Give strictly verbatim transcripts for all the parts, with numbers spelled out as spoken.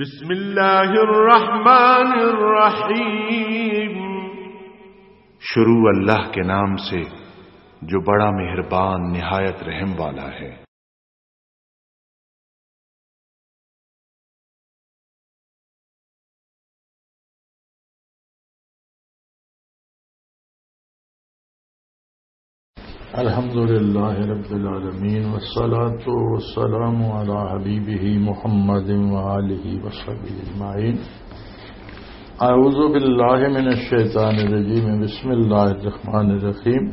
بسم اللہ الرحمن الرحیم۔ شروع اللہ کے نام سے، جو بڑا مہربان، نہایت رحم والا ہے۔ الحمد لله رب العالمين، والصلاة والسلام على حبيبه محمد وآله وصحبه أجمعين. أعوذ بالله من الشيطان الرجيم. بسم الله الرحمن الرحيم.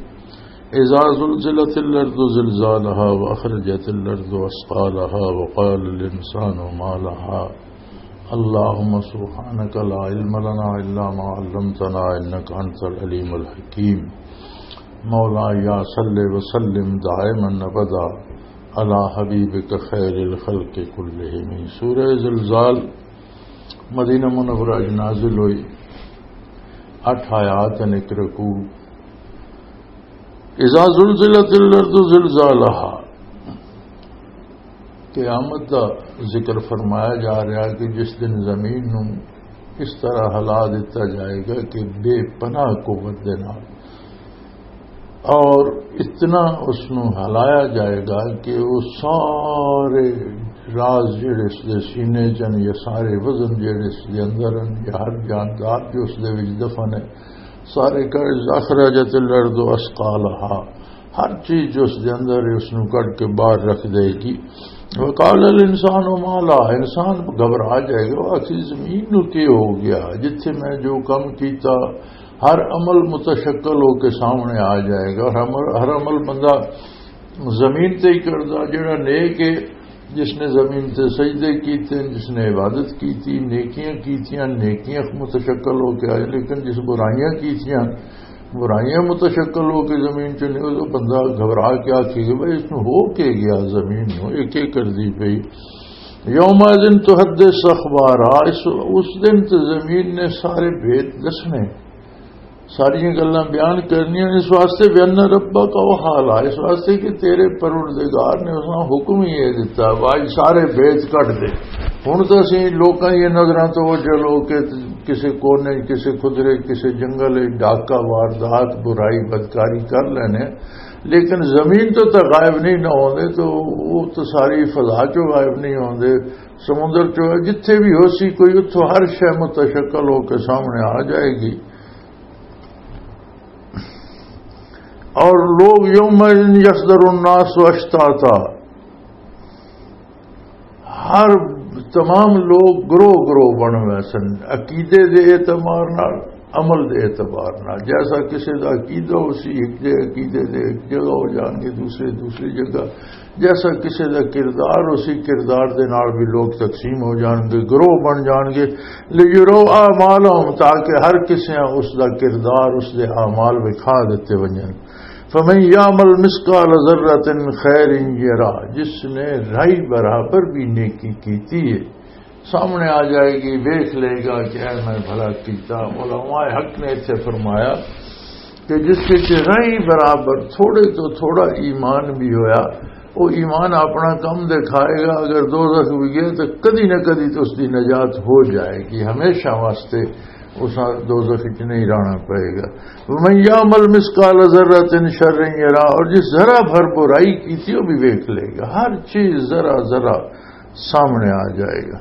إذا زلزلت الأرض زلزالها وأخرجت الأرض أثقالها وقال الإنسان ما لها. اللهم سبحانك لا علم لنا إلا ما علمتنا إنك أنت العليم الحكيم. مولاي صل وسلم دائما أبدا على حبيبك خير الخلق كلهم. سورہ زلزال مدینہ منورہ وچ نازل ہوئی، اٹھ آیات ہیں، ایک رکوع۔ اذا زلزلت الارض زلزالها، قیامت دا ذکر فرمایا جا رہا ہے کہ جس دن زمین نو اس طرح ہلا دتا جائے گا کہ بے پناہ قوت دے نال، اور اتنا اس نو ہلایا جائے گا کہ وہ سارے راز جڑے اس دے سینے چن، یا سارے وزن جڑے اس دے اندر ہیں، یا ہر جاندار جو اس دے وچ دفن ہے، سارے کا اخرجت الارض اثقالها، ہر چیز جو اس دے اندر ہے، اس نو کڈ کے باہر رکھ دے گی۔ وقال الانسان ما لها، انسان گھبرا جائے گا، وہ آخر زمین نو کی ہو گیا، جتھے میں جو کم کیتا، ہر عمل متشکل ہو کے سامنے آ جائے گا۔ اور ہر عمل، ہر عمل بندہ زمین تے ہی کردا، جڑا نیک ہے، جس نے زمین تے سجدے کیتے ہیں، جس نے عبادت کیتی، نیکیاں کیتیاں، نیکیاں متشکل ہو کے آئے، لیکن جس برائیاں کیتیاں، برائیاں متشکل ہو کے زمین چ نہیں، وہ بندہ گھبرا کے آکھے کہ بھائی، اس نو ہو کے گیا زمین نو، یہ کی کردی پئی؟ یومئذ تحدث اخبارها، اس، اس دن تے زمین نے سارے بھید دسنے، ساریاں گلاں بیان کرنیاں۔ اس واسطے بأن ربک اوحی لها، اس واسطے کہ تیرے پروردگار نے اس نوں حکم ہی یہ دتا، بھائی سارے بھید کٹ دے۔ ہن تاں اسی لوکاں یہ نظراں تو وجہ لو کہ کسے کونے، کسے کھدرے، کسے جنگل وچ ڈاکہ، واردات، برائی، بدکاری کر لینے، لیکن زمین تو تاں غائب نہیں نہ ہوندے، تو وہ تو ساری فضا چوں غائب نہیں ہوندے، سمندر چوں، جتھے بھی ہو سی کوئی، اتھوں ہر شے متشکل ہو کے سامنے آ جائے گی۔ اور لوگ یوم یصدر الناس اشتاتا، ہر تمام لوگ گروہ گروہ بن ویسن، عقیدے دے اعتبار نال، عمل دے اعتبار نال۔ جیسا کسے دا عقیدہ ہو سی، ایک دے عقیدے دے ایک جگہ ہو جان گے، دوسرے دوسری جگہ۔ جیسا کسے دا کردار، اسی کردار دے نال بھی لوگ تقسیم ہو جان گے، گروہ بن جان گے۔ لیروا اعمالہم، تاکہ ہر کسے اس دا کردار، اس دے اعمال وکھا دتے ونجن۔ فمن یعمل مثقال ذرۃ خیرا یرہ، جس نے رائی برابر بھی نیکی کیتی ہے، سامنے آ جائے گی، ویکھ لے گا کہ اے میں بھلا کیتا۔ علماء حق نے اتھے فرمایا کہ جس وچ رائی برابر تھوڑے تو تھوڑا ایمان بھی ہویا، وہ ایمان اپنا کم دکھائے گا، اگر دوزخ بھی گیا تو کدی نہ کدی تو اس دی نجات ہو جائے گی، ہمیشہ واسطے اس دوزخ وچ نہیں رہنا پائے گا۔ ومن یعمل مثقال ذرۃ شرا یرہ، اور جس ذرہ بھر برائی کی تھی وہ بھی ویکھ لے گا، ہر چیز ذرا ذرا سامنے آ جائے گا۔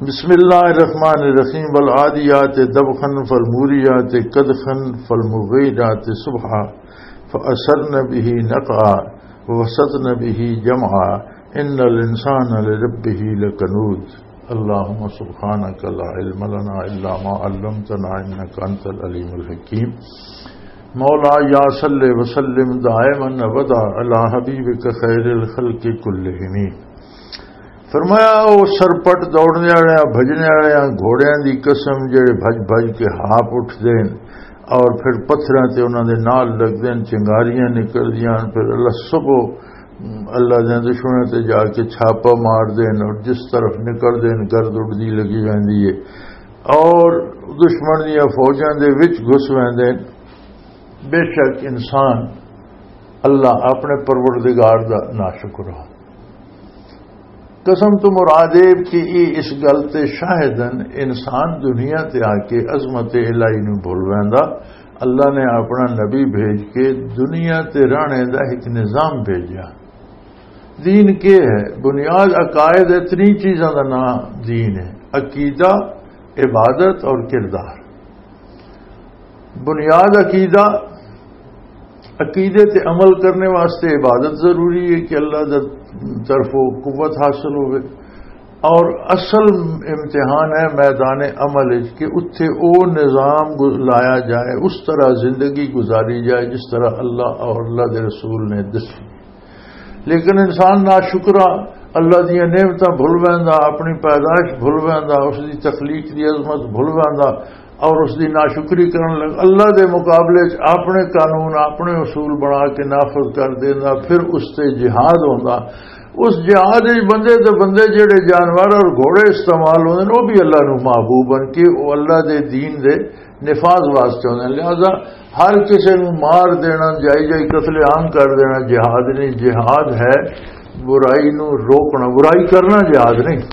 بسم اللہ الرحمن الرحیم۔ والعادیات ضبحا فالموریات قدحا فالمغیرات صبحا فاثرن به نقعا ووسطن به جمعا ان الانسان لربه لکنود۔ اللهم سبحانك لا علم لنا الا ما علمتنا انك انت العليم الحكيم۔ مولاي صل وسلم دائما ابدا على حبيبك خير الخلق كلهم۔ فرمایا، او سرپٹ دوڑنے والے، بھجنے والے گھوڑیاں دی قسم، جڑے بھج بھج کے ہاپ اٹھدے ہیں اور پھر پتھراں تے انہاں دے نال لگدے ہیں، چنگاریاں نکلدیاں ہیں، پھر اللہ صبح اللہ دے دشمناں تے جا کے چھاپا مار دین اور جس طرف نکل دین، گرد اڑدی لگی ویندی ہے اور دشمن دیاں فوجاں دے وچ گھس ویندے۔ بے شک انسان اللہ اپنے پروردگار دا ناشکر ہو۔ قسم تو مراد اے کہ اے اس گل تے شاہد ہن، انسان دنیا تے آ کے عظمت الہی نوں بھل ویندا۔ اللہ نے اپنا نبی بھیج کے دنیا تے رہنے دا ایک نظام بھیجیا۔ دین کے ہے؟ بنیاد عقائد ہے، تری چیزاں دا نام دین ہے: عقیدہ، عبادت اور کردار۔ بنیاد عقیدہ، عقیدے تے عمل کرنے واسطے عبادت ضروری ہے کہ اللہ دی طرفوں قوت حاصل ہوئے۔ اور اصل امتحان ہے میدان عمل وچ کہ اتھے او نظام گز-، لایا جائے، اس طرح زندگی گزاری جائے جس طرح اللہ اور اللہ دے رسول نے دسی۔ لیکن انسان ناشکرا، اللہ دیاں نعمتاں بھل ویندا، اپنی پیدائش بھل ویندا، اس دی تخلیق دی عظمت بھل ویندا اور اس دی ناشکری کرن لگ، اللہ دے مقابلے وچ اپنے قانون، اپنے اصول بنا کے نافذ کر دیندا، پھر اس تے جہاد ہوندا۔ اس جہاد وچ بندے تے بندے، جڑے جانور اور گھوڑے استعمال ہوندے نے، وہ بھی اللہ نو محبوب بن کے وہ اللہ دے دین دے نفاذ واسطے ہوندے نے۔ لہذا ہر کسے نوں مار دینا، جائی جائی قتل عام کر دینا جہاد نہیں۔ جہاد ہے برائی نوں روکنا، برائی کرنا جہاد نہیں،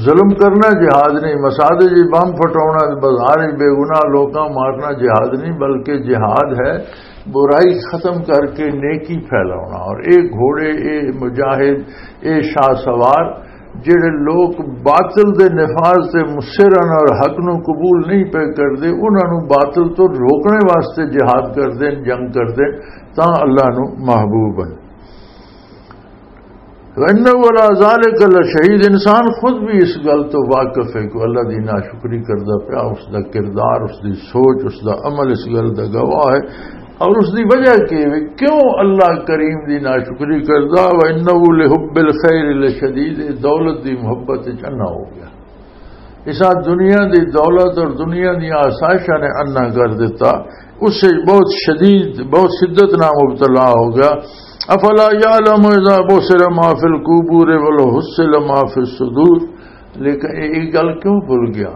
ظلم کرنا جہاد نہیں، مساجد وچ بم پھٹاؤنا، بازار وچ بے گناہ لوکاں مارنا جہاد نہیں، بلکہ جہاد ہے برائی ختم کر کے نیکی پھیلاؤنا۔ اور اے گھوڑے، اے مجاہد، اے شاہ سوار، جڑے لوگ باطل دے نفاذ تے مصر ہن اور حق نو قبول نہیں پے کردے، انہاں نو باطل تو روکنے واسطے جہاد کردے، جنگ کردے، تاں اللہ نو محبوب ہن۔ وَإِنَّهُ عَلَى ذَلِكَ لَشَهِيدٌ، انسان خود بھی اس گل تو واقف ہے کہ اللہ دی ناشکری کردا پیا، اس دا کردار، اس دی سوچ، اس دا عمل اس گل دا گواہ ہے۔ اور اس دی وجہ کی ہے؟ کیوں اللہ کریم دی ناشکری کردا؟ وَإِنَّهُ لِحُبِّ الْخَيْرِ لَشَدِيدٌ، دولت دی محبت وچ انا ہو گیا۔ اسا دنیا دی دولت اور دنیا دی آسائشاں نے انا کر دیتا، اس سے بہت شدید، بہت شدت نہ مبتلا ہو گیا۔ افلا یعلم اذا بسر ما فی القبور ولو حصل ما فی الصدور۔ لیکن یہ گل کیوں بھول گیا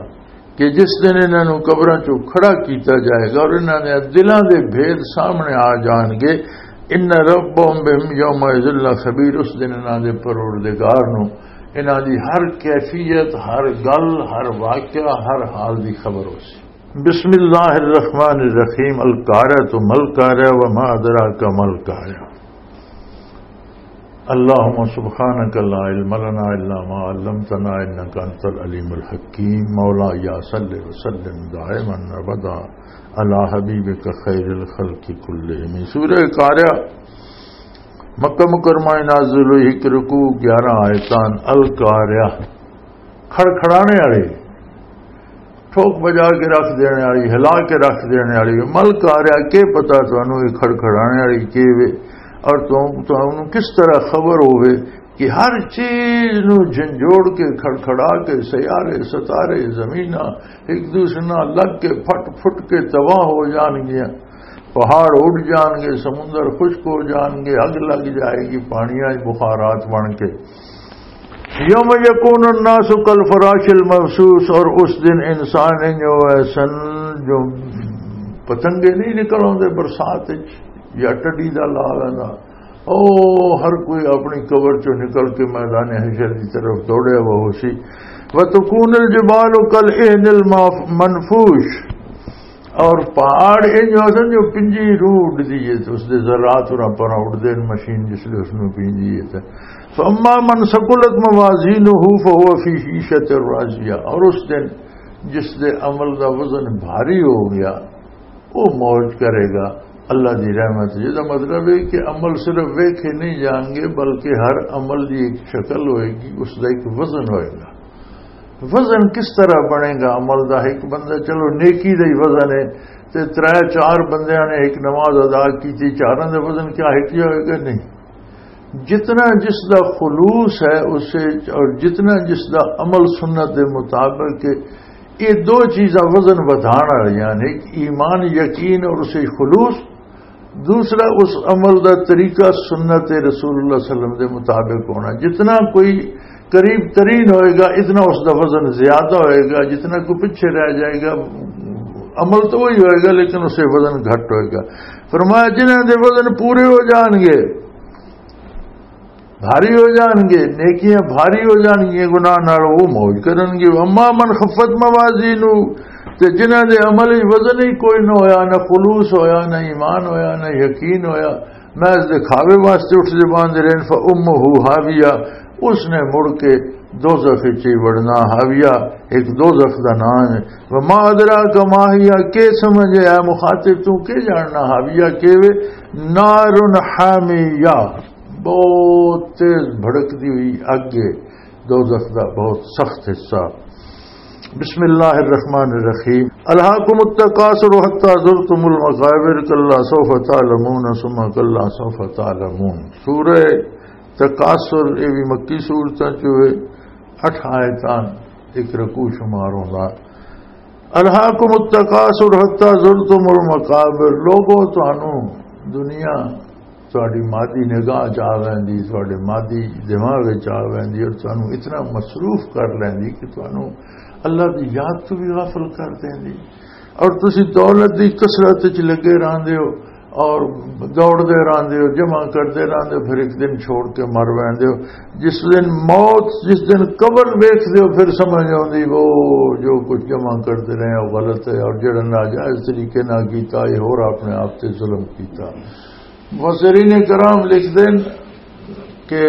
کہ جس دن انہاں نوں قبراں چوں کھڑا کیتا جائے گا اور انہاں دے دلاں دے بھید سامنے آ جان گے، ان ربهم بهم یومئذ لخبیر، اس دن انہاں دے پروردگار نوں انہاں دی ہر کیفیت، ہر گل، ہر واقعہ، ہر حال دی خبر ہو سی۔ بسم اللہ الرحمن الرحیم۔ القارعۃ، ما القارعۃ، وما ادراک ما القارعۃ۔ اللهم سبحانك لا علم لنا إلا ما علمتنا إنك أنت العليم الحكيم۔ مولاي صل وسلم دائما أبدا على حبيبك خير الخلق كلهم۔ سورہ قارعہ، مکہ مکرمہ نازل ہوئی، ایک رکوع، گیارہ آیتان۔ القارعہ، کھڑکھڑانے والی، ٹھوک بجا کے رکھ دینے والی، ہلا کے رکھ دینے والی۔ مل قارعہ، کے پتا تانوں یہ کھڑکھڑانے والی کے وے، اور تو، تانوں کس طرح خبر ہوے کہ ہر چیز نو جھنجھوڑ کے، کھڑکھڑا کے، سیارے، ستارے، زمیناں، ایک دوسرے نال لگ کے پھٹ پھٹ کے تباہ ہو جان گیاں، پہاڑ اڈ جان گے، سمندر خشک ہو جان گے، اگ لگ جائے گی، پانیاں وچ بخارات بن کے۔ یوم یکون الناس کالفراش المبثوث، اور اس دن انسان انج ہوئے سن جو پتنگے نہیں نکل آتے برسات وچ، یا ٹڈی دا لا لینا، او ہر کوئی اپنی قبر چوں نکل کے میدان حشر دی طرف دوڑیا ہوا ہو سی۔ وتکون الجبال کالعہن المنفوش، اور پہاڑ انج ہو سن جو پنجی روح اڈدی ہے، تے اس دے ذرات اور پر اڈدے نے، مشین جس لے اس نوں پنجی ہے تے۔ فاما من ثقلت موازینہ فهو فی عیشۃ راضیہ، اور اس دن جس دے عمل دا وزن بھاری ہو گیا، وہ موج کرے گا اللہ دی رحمت۔ یہ دا مطلب ہے کہ عمل صرف ویکھے نہیں جان گے، بلکہ ہر عمل دی ایک شکل ہوئے گی، اس دا ایک وزن ہوئے گا۔ وزن کس طرح بنے گا عمل دا؟ ایک بندہ، چلو، نیکی دا ہی وزن ہے، تے ترے چار بندیاں نے ایک نماز ادا کی تھی، چاراں دا وزن کیا ایک ہی ہوئے گا؟ نہیں۔ جتنا جس دا خلوص ہے اسے، اور جتنا جس دا عمل سنت دے مطابق ہے، یہ دو چیزاں وزن ودھان والیاں نے، ایک ایمان یقین اور اسے خلوص، دوسرا اس عمل دا طریقہ سنت رسول اللہ صلی اللہ علیہ وسلم دے مطابق ہونا۔ جتنا کوئی قریب ترین ہوئے گا، اتنا اس دا وزن زیادہ ہوئے گا، جتنا کوئی پیچھے رہ جائے گا، عمل تو وہی ہوئے گا لیکن اسے وزن گھٹ ہوئے گا۔ فرمایا، جنہاں دے وزن پورے ہو جان گے، بھاری ہو جان گے، نیکیاں بھاری ہو جان گیاں گناہ نال، وہ موج کرن گے۔ اما من خفت موازینہ، تے جنہاں دے عمل وچ وزن ہی کوئی نہ ہویا، نہ خلوص ہویا، نہ ایمان ہویا، نہ یقین ہویا، محض دکھاوے واسطے اٹھ دے باندھ رہن، فامہ ہاویہ، اس نے مڑ کے دوزخ وچ ہی وڑنا، ہاویہ، ایک دوزخ دا نام ہے۔ وما ادراک ما ہی، کے سمجھے اے مخاطب، تو کے جاننا ہاویہ کے وے؟ نار حامیہ، بہت تیز بھڑکدی ہوئی اگ ہے، دوزخ دا بہت سخت حصہ۔ بسم اللہ الرحمن الرحیم۔ الہاکم التکاثر حتی زرتم المقابر، کلا سوف تعلمون ثم کلا سوف تعلمون۔ سورہ تکاثر، یہ بھی مکی سورتاں چوں ہے، اٹھ آیتاں، ایک رکوع شمار ہوندا۔ الہاکم التکاثر حتی زرتم المقابر، لوگو، تانوں دنیا تہاڈی مادی نگاہ چ آ ویندی، تہاڈے مادی دماغ وچ آ ویندی اور تانوں اتنا مصروف کر لیندی کہ تانوں اللہ دی یاد تو بھی غافل کر دیندی۔ اور تسی دولت دی کثرت وچ لگے رہندے ہو اور دوڑدے رہندے ہو، جمع کردے رہندے ہو، پھر ایک دن چھوڑ کے مر ویندے ہو۔ جس دن موت، جس دن قبر ویکھدے ہو، پھر سمجھ آوندی، وہ جو کچھ جمع کردے رہے ہو غلط ہے، اور جڑا ناجائز طریقے نال کیتا، یہ ہور اپنے آپ تے ظلم کیتا۔ مفسرین کرام لکھدے نے کہ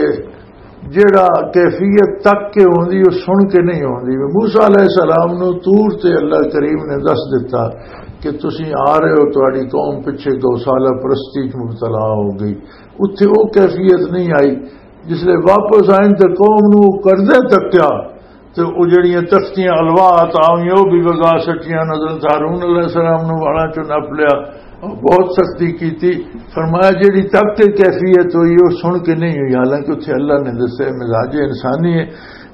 جڑا کیفیت تک کے ہوندی، وہ سن کے نہیں ہوندی۔ موسیٰ علیہ السلام نو طور تے اللہ کریم نے دس دتا کہ تسی آ رہے ہو، تہاڈی قوم پچھے گوسالہ پرستی چ مبتلا ہو گئی، اتھے وہ کیفیت نہیں آئی۔ جس لے واپس آئے تے قوم نو وہ کردے تکیا، تے او جڑیاں تختیاں الوا عطا ہوئیاں، او بھی وگا سٹیاں، حضرت ہارون علیہ السلام نو والاں چوں نپ لیا، بہت سختی کیتی۔ فرمایا، جڑی تک کے کیفیت ہوئی، او سن کے نہیں ہوئی، حالانکہ اتھے اللہ نے دسیا مزاج انسانی ہے۔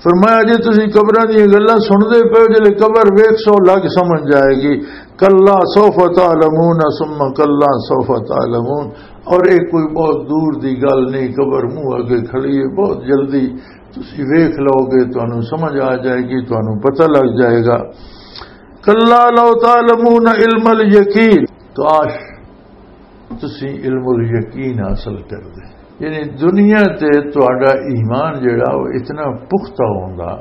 فرمایا، جے تسی قبراں دیاں گلاں سن دے پے ہو، جلے قبر ویکھ سو، لگ سمجھ جائے گی۔ کلا سوف تعلمون ثم کلا سوف تعلمون۔ اور ایک کوئی بہت دور دی گل نہیں، قبر منہ اگے کھڑی ہے، بہت جلدی تسی ویکھ لو گے، تانوں سمجھ آ جائے گی، تانوں پتہ لگ جائے گا۔ کلا لو تعلمون علم الیقین، کاش تسی علم الیقین حاصل کر دے۔ یعنی دنیا تے تہاڈا ایمان جڑا، وہ اتنا پختہ ہوندا۔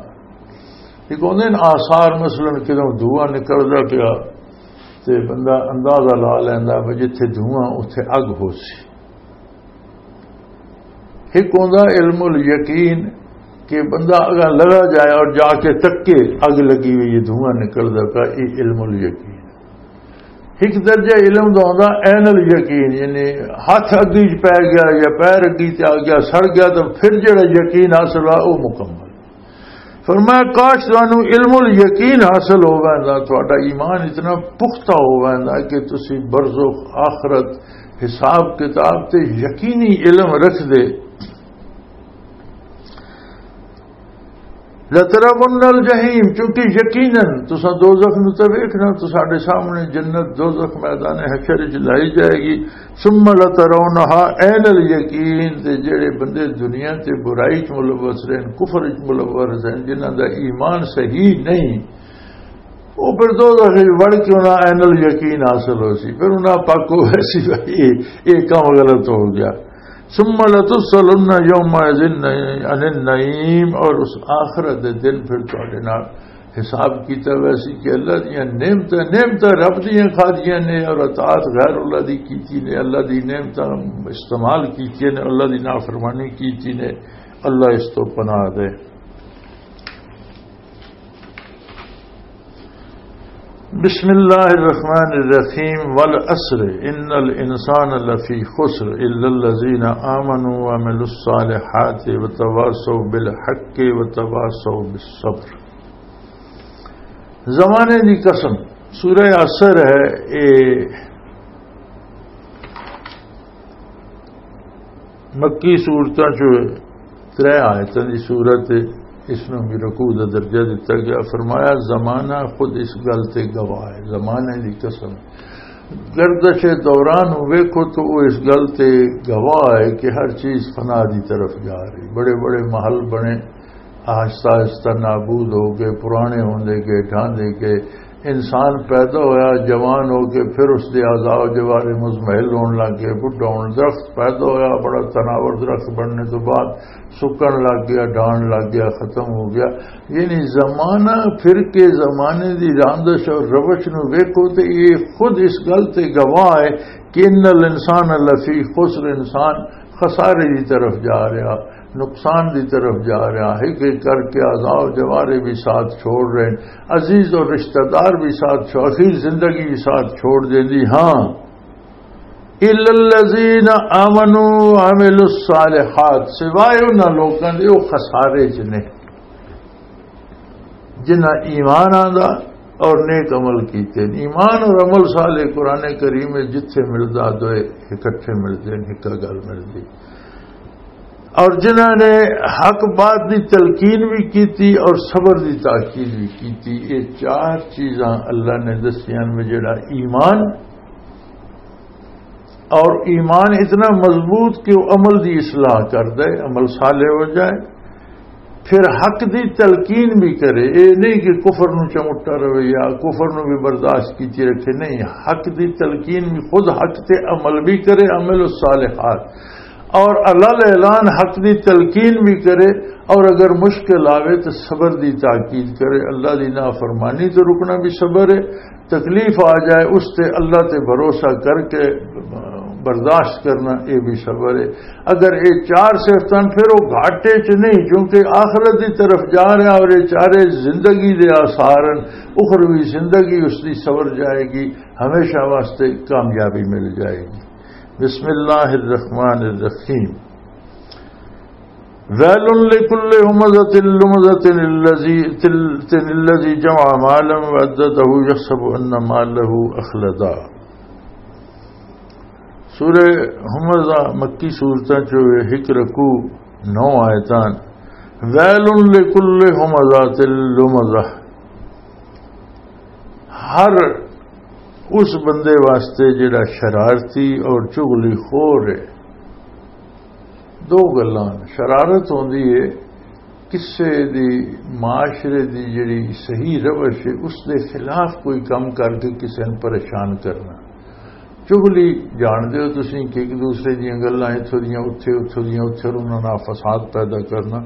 ایک ہوندے نے آثار، مثلاً کدوں دھواں نکلدا پیا تے بندہ اندازہ لا لیندا بھی جتھے دھواں اتھے اگ ہو سی۔ ایک ہوندا علم الیقین کہ بندہ اگر لگا جائے اور جا کے تکے اگ لگی ہوئی ہے، دھواں نکلدا پیا، یہ علم الیقین۔ ایک درجہ علم دا ہوندا عین الیقین، یعنی ہاتھ اگی چ پی گیا یا پیر اگی تے آ گیا، سڑ گیا، تو پھر جڑا یقین حاصل ہوا، وہ مکمل۔ فرمایا، کاش تانوں علم الیقین حاصل ہو ویندا، تہاڈا ایمان اتنا پختہ ہو ویندا کہ تسی برزخ، آخرت، حساب کتاب تے یقینی علم رکھ دے۔ لَتَرَوُنَّ الْجَحِيمَ، کیونکہ یقیناً تساں دوزخ نوں تے ویکھنا، تساڈے سامنے جنت، دوزخ، میدان حشر وچ لائی جائے گی۔ ثُمَّ لَتَرَوْنَهَا عَيْنَ الْيَقِينِ، تے جڑے بندے دنیا تے برائی وچ ملوث رہن، کفر وچ ملوث رہن، جنہاں دا ایمان صحیح نہیں، وہ پھر دوزخ وچ وڑ کے انہاں عین الیقین حاصل ہو سی، پھر انہاں پاکو ویسی بھائی، یہ، یہ کام غلط ہو گیا۔ ثم لتسألن يومئذ عن النعيم، اور اس آخرت دے دن پھر تہاڈے نال حساب کیتا ویسی کہ اللہ دیاں نعمتاں، نعمتاں رب دیاں کھادیاں نے اور اطاعت غیر اللہ دی کیتی نے، اللہ دی نعمتاں استعمال کیتی نے، اللہ دی نافرمانی کیتی نے۔ اللہ اس تو پناہ دے۔ بسم اللہ الرحمن الرحیم۔ والعصر ان الانسان لفی خسر الا الذین آمنوا وعملوا الصالحات وتواصوا بالحق وتواصوا بالصبر۔ زمانے دی قسم، سورہ عصر ہے، اے مکی صورتاں چوں ترے آیتاں دی صورت ہے، اس نوں بھی رکوع دا درجہ دتا گیا۔ فرمایا، زمانہ خود اس گل تے گواہ ہے، زمانے دی قسم۔ گردش دوران نوں ویکھو تو وہ اس گل تے گواہ ہے کہ ہر چیز فنا دی طرف جا رہی۔ بڑے بڑے محل بنے، آہستہ آہستہ نابود ہو گئے، پرانے ہوندے گئے، ڈھاندے گئے۔ انسان پیدا ہویا، جوان ہو کے پھر اس دے اعضاء و جوارے مزمحل ہون لگ گئے، بڈھا ہون، درخت پیدا ہویا، بڑا تناور درخت بننے تو بعد سکن لگ گیا، ڈھان لگ گیا، ختم ہو گیا۔ یعنی زمانہ پھر کے زمانے دی راندش اور روش نو ویکھو تے یہ خود اس گل تے گواہ ہے کہ ان الانسان لفی خسر، انسان خسارے دی طرف جا رہا، نقصان دی طرف جا رہا ہے، کہ کر کے اعضاء و جوارے بھی ساتھ چھوڑ رہے ہیں، عزیز اور رشتہ دار بھی ساتھ چھوڑ، اخیر زندگی بھی ساتھ چھوڑ دیں دی۔ ہاں، الا الذین آمنوا وعملوا الصالحات، سوائے انہاں لوکاں دے وہ خسارے چ نے، جنہاں ایمان آندا اور نیک عمل کیتے۔ ایمان اور عمل صالح قرآن کریم وچ جتھے ملدا، دوئے اکٹھے ملدے نے، ایک گل ملدی۔ اور جنہاں نے حق بات دی تلقین بھی کیتی اور صبر دی تاکید بھی کیتی، یہ چار چیزاں اللہ نے دسیاں میں، جڑا ایمان، اور ایمان اتنا مضبوط کہ وہ عمل دی اصلاح کر دے، عمل صالح ہو جائے۔ پھر حق دی تلقین بھی کرے، اے نہیں کہ کفر نو چمٹا رہے یا کفر نو بھی برداشت کیتی رکھے، نہیں، حق دی تلقین بھی، خود حق تے عمل بھی کرے، عمل الصالحات، اور اللہ اعلان حق دی تلقین بھی کرے، اور اگر مشکل آوے تو صبر دی تاکید کرے۔ اللہ دی نافرمانی تو رکنا بھی صبر ہے، تکلیف آ جائے، اس تے اللہ تے بھروسہ کر کے برداشت کرنا، یہ بھی صبر ہے۔ اگر یہ چار صفتاں، پھر وہ گھاٹے چ نہیں، کیونکہ آخرت دی طرف جا رہا اور یہ چارے زندگی دے آثار ہیں، اخروی زندگی اس دی سنور جائے گی، ہمیشہ واسطے کامیابی مل جائے گی۔ بسم اللہ الرحمن الرحیم۔ ویل لکل ہمزۃ لمزۃ الذی، تل-، تل-، الذی جمع مالا وعددہ یحسب ان مالہ اخلدہ۔ سورہ ہمزہ مکی سورتاں چو، ایک رکوع، نو آیتاں۔ ویل لکل ہمزۃ لمزہ، ہر اس بندے واسطے جڑا شرارتی اور چغلی خور ہے۔ دو گلاں، شرارت ہوندی ہے، کسے دی، معاشرے دی جڑی صحیح روش ہے، اس دے خلاف کوئی کم کر کے کسے نوں پریشان کرنا۔ چغلی جان دے ہو تسی کہ ایک دوسرے دیاں گلاں اتھوں دیاں اتھے، اتھوں دیاں اتھے، اور انہاں نال فساد پیدا کرنا۔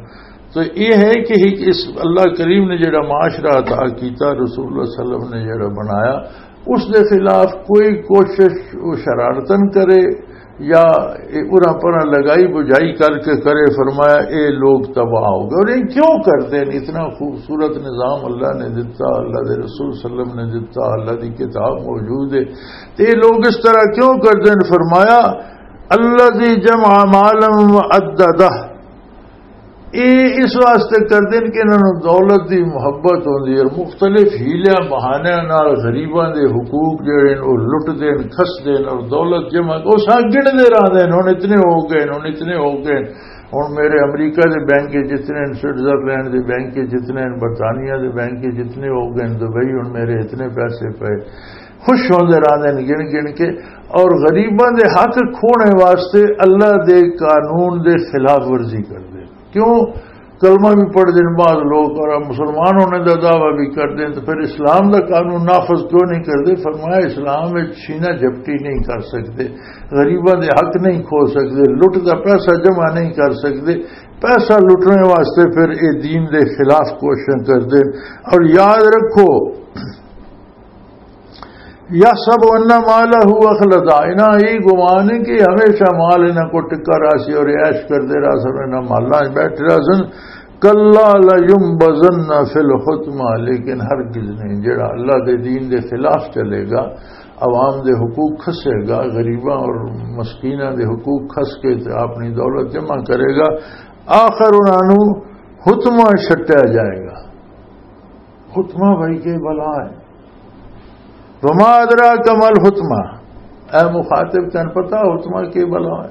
تو یہ ہے کہ ایک اس اللہ کریم نے جڑا معاشرہ عطا کیتا، رسول اللہ صلی اللہ علیہ وسلم نے جڑا بنایا، اس دے خلاف کوئی کوشش وہ شرارتن کرے یا اے اراں پراں لگائی بجائی کر کے کرے، فرمایا، اے لوگ تباہ ہو گئے۔ اور یہ کیوں کرتے ہیں؟ اتنا خوبصورت نظام اللہ نے دتا، اللہ دے رسول صلی اللہ علیہ وسلم نے دتا، اللہ دی کتاب موجود ہے، تے یہ لوگ اس طرح کیوں کرتے ہیں؟ فرمایا، الذی جمع مالا وعددہ، یہ اس واسطے کردے نے کہ انہاں نوں دولت دی محبت ہوندی ہے، اور مختلف حیلیاں بہانیاں نال غریباں دے حقوق جڑے نے، وہ لٹدے نے، کھسدے نے، اور دولت جمع، وہ سا گنتے رہندے نے، ہن اتنے ہو گئے نے، ہن اتنے ہو گئے نے۔ ہن میرے امریکہ دے بینک وچ اتنے نے، سوئٹزرلینڈ دے بینک وچ اتنے نے، برطانیہ دے بینک وچ اتنے ہو گئے نے، دبئی ہن میرے اتنے پیسے پئے۔ خوش ہوندے رہندے نے گن گن کے، اور غریباں دے حق کھونے واسطے اللہ دے قانون دے خلاف ورزی کردے نے۔ کیوں؟ کلمہ بھی پڑھ دین بعض لوگ اور مسلمان ہونے دا دعویٰ بھی کر دین، تو پھر اسلام دا قانون نافذ کیوں نہیں کردے؟ فرمایا، اسلام وچ چھینا جھپٹی نہیں کر سکدے، غریباں دے حق نہیں کھو سکدے، لٹ دا پیسہ جمع نہیں کر سکدے۔ پیسہ لٹنے واسطے پھر اے دین دے خلاف کوششاں کردے۔ اور یاد رکھو، یحسب ان مالہ اخلدہ، انہاں یہ گمان ہے کہ ہمیشہ مال انہاں کو ٹکا رہا سی اور عیش کردے رہا سن، انہاں مالاں وچ بیٹھے رہا سن۔ کلا لینبذن فی الحطمہ، لیکن ہرگز نہیں، جڑا اللہ دے دین دے خلاف چلے گا، عوام دے حقوق کھسے گا، غریباں اور مسکیناں دے حقوق کھس کے تے اپنی دولت جمع کرے گا، آخر انہاں نوں حطمہ چھٹیا جائے گا۔ حطمہ بھائی کے بلا ہے۔ وما ادراک ما الحطمہ، اے مخاطب، تن پتا حطمہ کے بلا ہے؟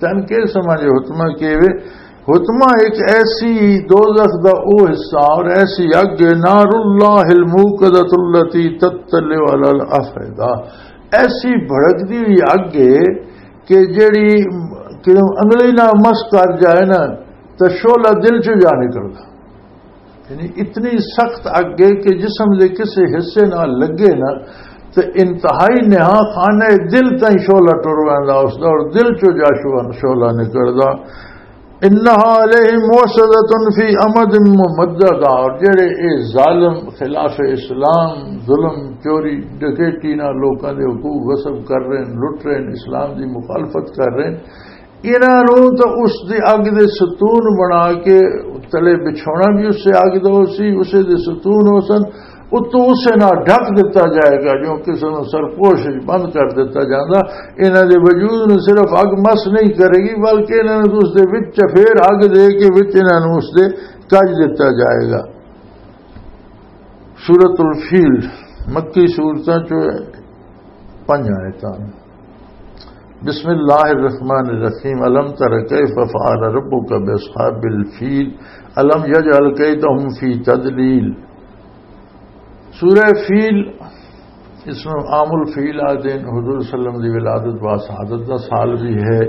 تن کے سمجھے حطمہ کے وے؟ حطمہ ایک ایسی دوزخ دا او حصہ اور ایسی اگ ہے، نار اللہ الموقدۃ التی تطلع علی الافئدہ، ایسی بھڑکدی ہوئی اگ ہے کہ جیڑی کہ انگلی نہ مس کر جائے نا، تو شعلہ دل چ جا نکلدا۔ یعنی اتنی سخت اگ ہے کہ جسم دے کسے حصے نال لگے نا، تے انتہائی نہا خانہ دل تائیں شعلہ ٹر ویندا اس دا، اور دل چوں جا شعلہ، شعلہ نکلدا۔ انہا علیہم موصدۃ فی امد ممددہ، اور جڑے اے ظالم خلاف اسلام، ظلم، چوری، ڈکیٹی نال لوکاں دے حقوق غصب کر رہے ہیں، لٹ رہے ہیں، اسلام دی مخالفت کر رہے ہیں، انہاں نوں تاں اس دی اگ دے ستون بنا کے تلے بچھونا بھی اسے اگ دا ہو سی، اسے دے ستون ہو سن، اتوں اسے نال ڈھک دتا جائے گا، جو کسے نوں سرپوش وچ بند کر دتا جاندا۔ انہاں دے وجود نوں صرف اگ مس نہیں کرے گی، بلکہ انہاں نوں اس دے وچ چفیر اگ دے کے وچ انہاں نوں اس دے کج دتا جائے گا۔ سورۃ الفیل، مکی سورتاں چوں پنج آیتاں۔ بسم اللہ الرحمن الرحیم۔ الم تر کیف فعل ربک باصحاب الفیل، الم یجعل کیدہم فی تدلیل۔ سورہ فیل، اس میں عام الفیل آتے ہیں، حضور صلی اللہ علیہ وسلم دی ولادت و شہادت دا سال بھی ہے۔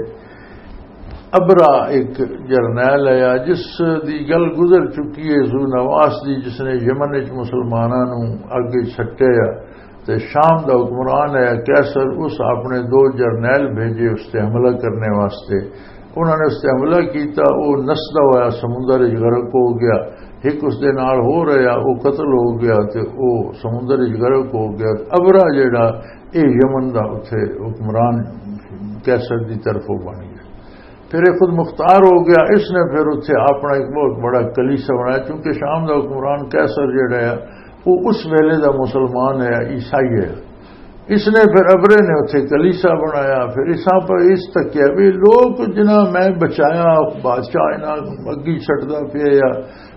ابرا ایک جرنیل ہے جس دی گل گزر چکی ہے، ذو نواس دی، جس نے یمن وچ مسلماناں نوں اگے سٹیا، تے شام دا حکمران ہے قیصر، اس اپنے دو جرنیل بھیجے اس تے حملہ کرنے واسطے۔ انہاں نے اس تے حملہ کیتا، او نسدا ہویا سمندر وچ غرق ہو گیا۔ ایک اس دے نال ہو رہیا، او قتل ہو گیا تے او سمندر وچ غرق ہو گیا۔ ابرا جڑا، اے یمن دا اتھے حکمران قیصر دی طرفوں بن گیا۔ پھر یہ خود مختار ہو گیا۔ اس نے پھر اتھے اپنا ایک بہت بڑا کلیسا بنایا، چونکہ شام دا حکمران قیصر جڑا ہے، وہ اس ویلے دا مسلمان ہے، عیسائی ہے۔ اس نے پھر ابرے نے اتھے کلیسا بنایا۔ پھر اساں پر اس تکیا بھی لوگ جنہاں میں بچایا، بادشاہ انہاں اگی چھٹدا پیا یا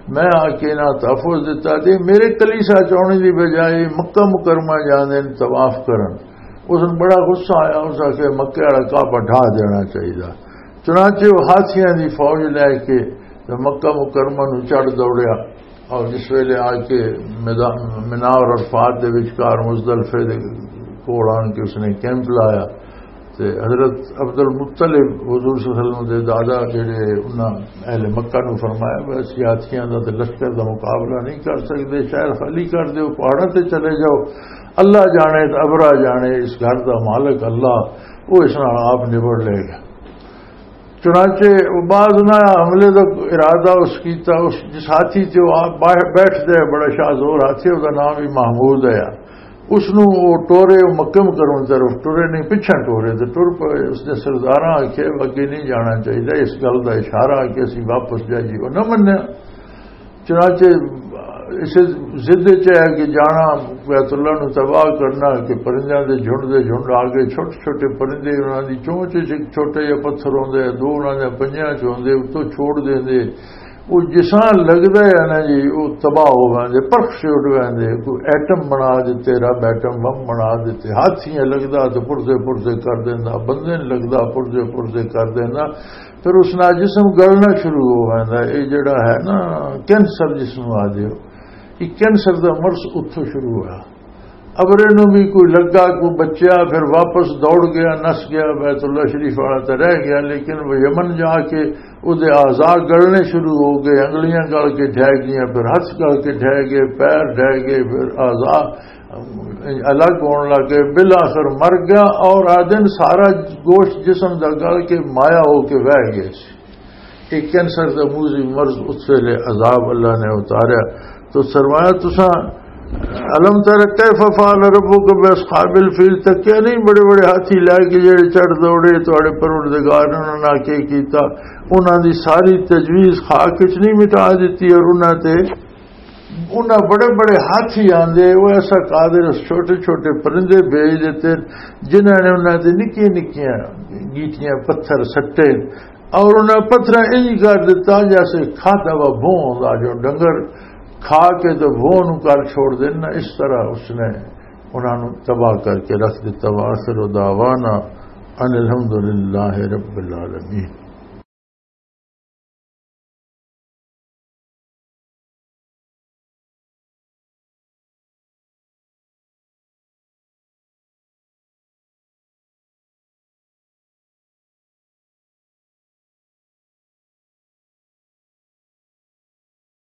میں آ کے انہاں تحفظ دتا، تے میرے کلیسا چ آنے دی بجائے مکہ مکرمہ جاندے نے طواف کرن۔ اس نوں بڑا غصہ آیا، اس آکھیا مکے والا کعبہ ڈھا دینا چاہیدا۔ چنانچہ وہ ہاتھیاں دی فوج لے کے تے مکہ مکرمہ نوں چڑھ دوڑیا، اور جس ویلے آ کے میدان، منا اور عرفات دے وچکار مزدلفے دے کول آن کے اس نے کیمپ لایا، تے حضرت عبد المطلب، حضور صلی اللہ علیہ وسلم دے دادا جڑے، انہاں اہل مکہ نوں فرمایا، "بس ہاتھیاں دا تے لشکر دا مقابلہ نہیں کر سکدے، شہر خالی کر دیو، پہاڑاں تے چلے جاؤ، اللہ جانے تے ابرا جانے، اس گھر دا مالک اللہ، وہ اس نال آپ نبڑ لے گا۔" چنانچہ وہ بعد نہ حملے دا ارادہ اس کیتا، اس جس ہاتھی تے وہ آپ باہر بیٹھدے، بڑا شاہ زور ہاتھی، اس دا نام بھی محمود ہے۔ اس نوں وہ ٹورے، وہ مکہ مکرمہ طرف ٹورے نہیں، پچھاں ٹورے تے ٹر پئے۔ اس نے سرداراں آکھیا، "اگے نہیں جانا چاہیدا۔" اس گل دا اشارہ آ کہ اسی واپس جائیے، وہ نہ منیا۔ چنانچہ اسے ضد چ ہے کہ جانا، بیت اللہ نو تباہ کرنا، کہ پرندیاں دے جھنڈ دے جھنڈ آ گئے، چھوٹے چھوٹے پرندے، انہاں دی چونچ وچ ایک چھوٹا جہا پتھر ہوندے، دو انہاں دے پنجیاں چ ہوندے، اتوں چھوڑ دیندے۔ وہ جساں لگدا ہے نا جی، وہ تباہ ہو ویندے، پرخ سے اڈ ویندے۔ کوئی ایٹم بنا دیتے، رب ایٹم بم بنا دیتے، ہاتھی لگدا تو پرزے پرزے کر دیندا، بندے نوں لگدا پرزے پرزے کر دیندا۔ پھر اس نال جسم گلنا شروع ہو ویندا۔ یہ جڑا ہے نا، کینسر جسم آ جائے، یہ کینسر دا مرض اتھوں شروع ہوا۔ ابرے نوں بھی کوئی لگا، کوئی بچیا، پھر واپس دوڑ گیا، نس گیا، بیت اللہ شریف والا تے رہ گیا، لیکن وہ یمن جا کے وہ دے اعضاء گلنے شروع ہو گئے، انگلیاں گل کے ڈھہ گئیاں، پھر ہاتھ گل کے ڈھہ گئے، پیر ڈھہ گئے، پھر اعضاء الگ ہون لگ گئے، بالآخر مر گیا۔ اور آدن سارا گوشت جسم دا گل کے مایا ہو کے وہ گیا سی۔ ایک کینسر دا موذی مرض، اس ویلے عذاب اللہ نے اتاریا۔ تو فرمایا، تساں الم تر کیف فعل ربک باصحاب الفیل، تکیا نہیں بڑے بڑے ہاتھی لے کے جڑے چڑھ دوڑے، تہاڈے پروردگار نے انہاں نال کی کیتا؟ انہاں دی ساری تجویز خاک وچ نہیں مٹا دتی، اور انہاں تے انہاں بڑے بڑے ہاتھی آندے، وہ ایسا قادر اس چھوٹے چھوٹے پرندے بھیج دیتے، جنہاں نے انہاں تے نکیاں نکیاں گیٹیاں پتھر سٹے، اور انہاں پتھراں انج کر دیتا جیسے کھادا وا بھوں ہوندا جو ڈنگر، کھا کے تو بھوں نوں کر چھوڑ دینا۔ اس طرح اس نے انہاں نوں تباہ کر کے رکھ دیتا۔ وآخر دعوانا ان الحمدللہ رب العالمین۔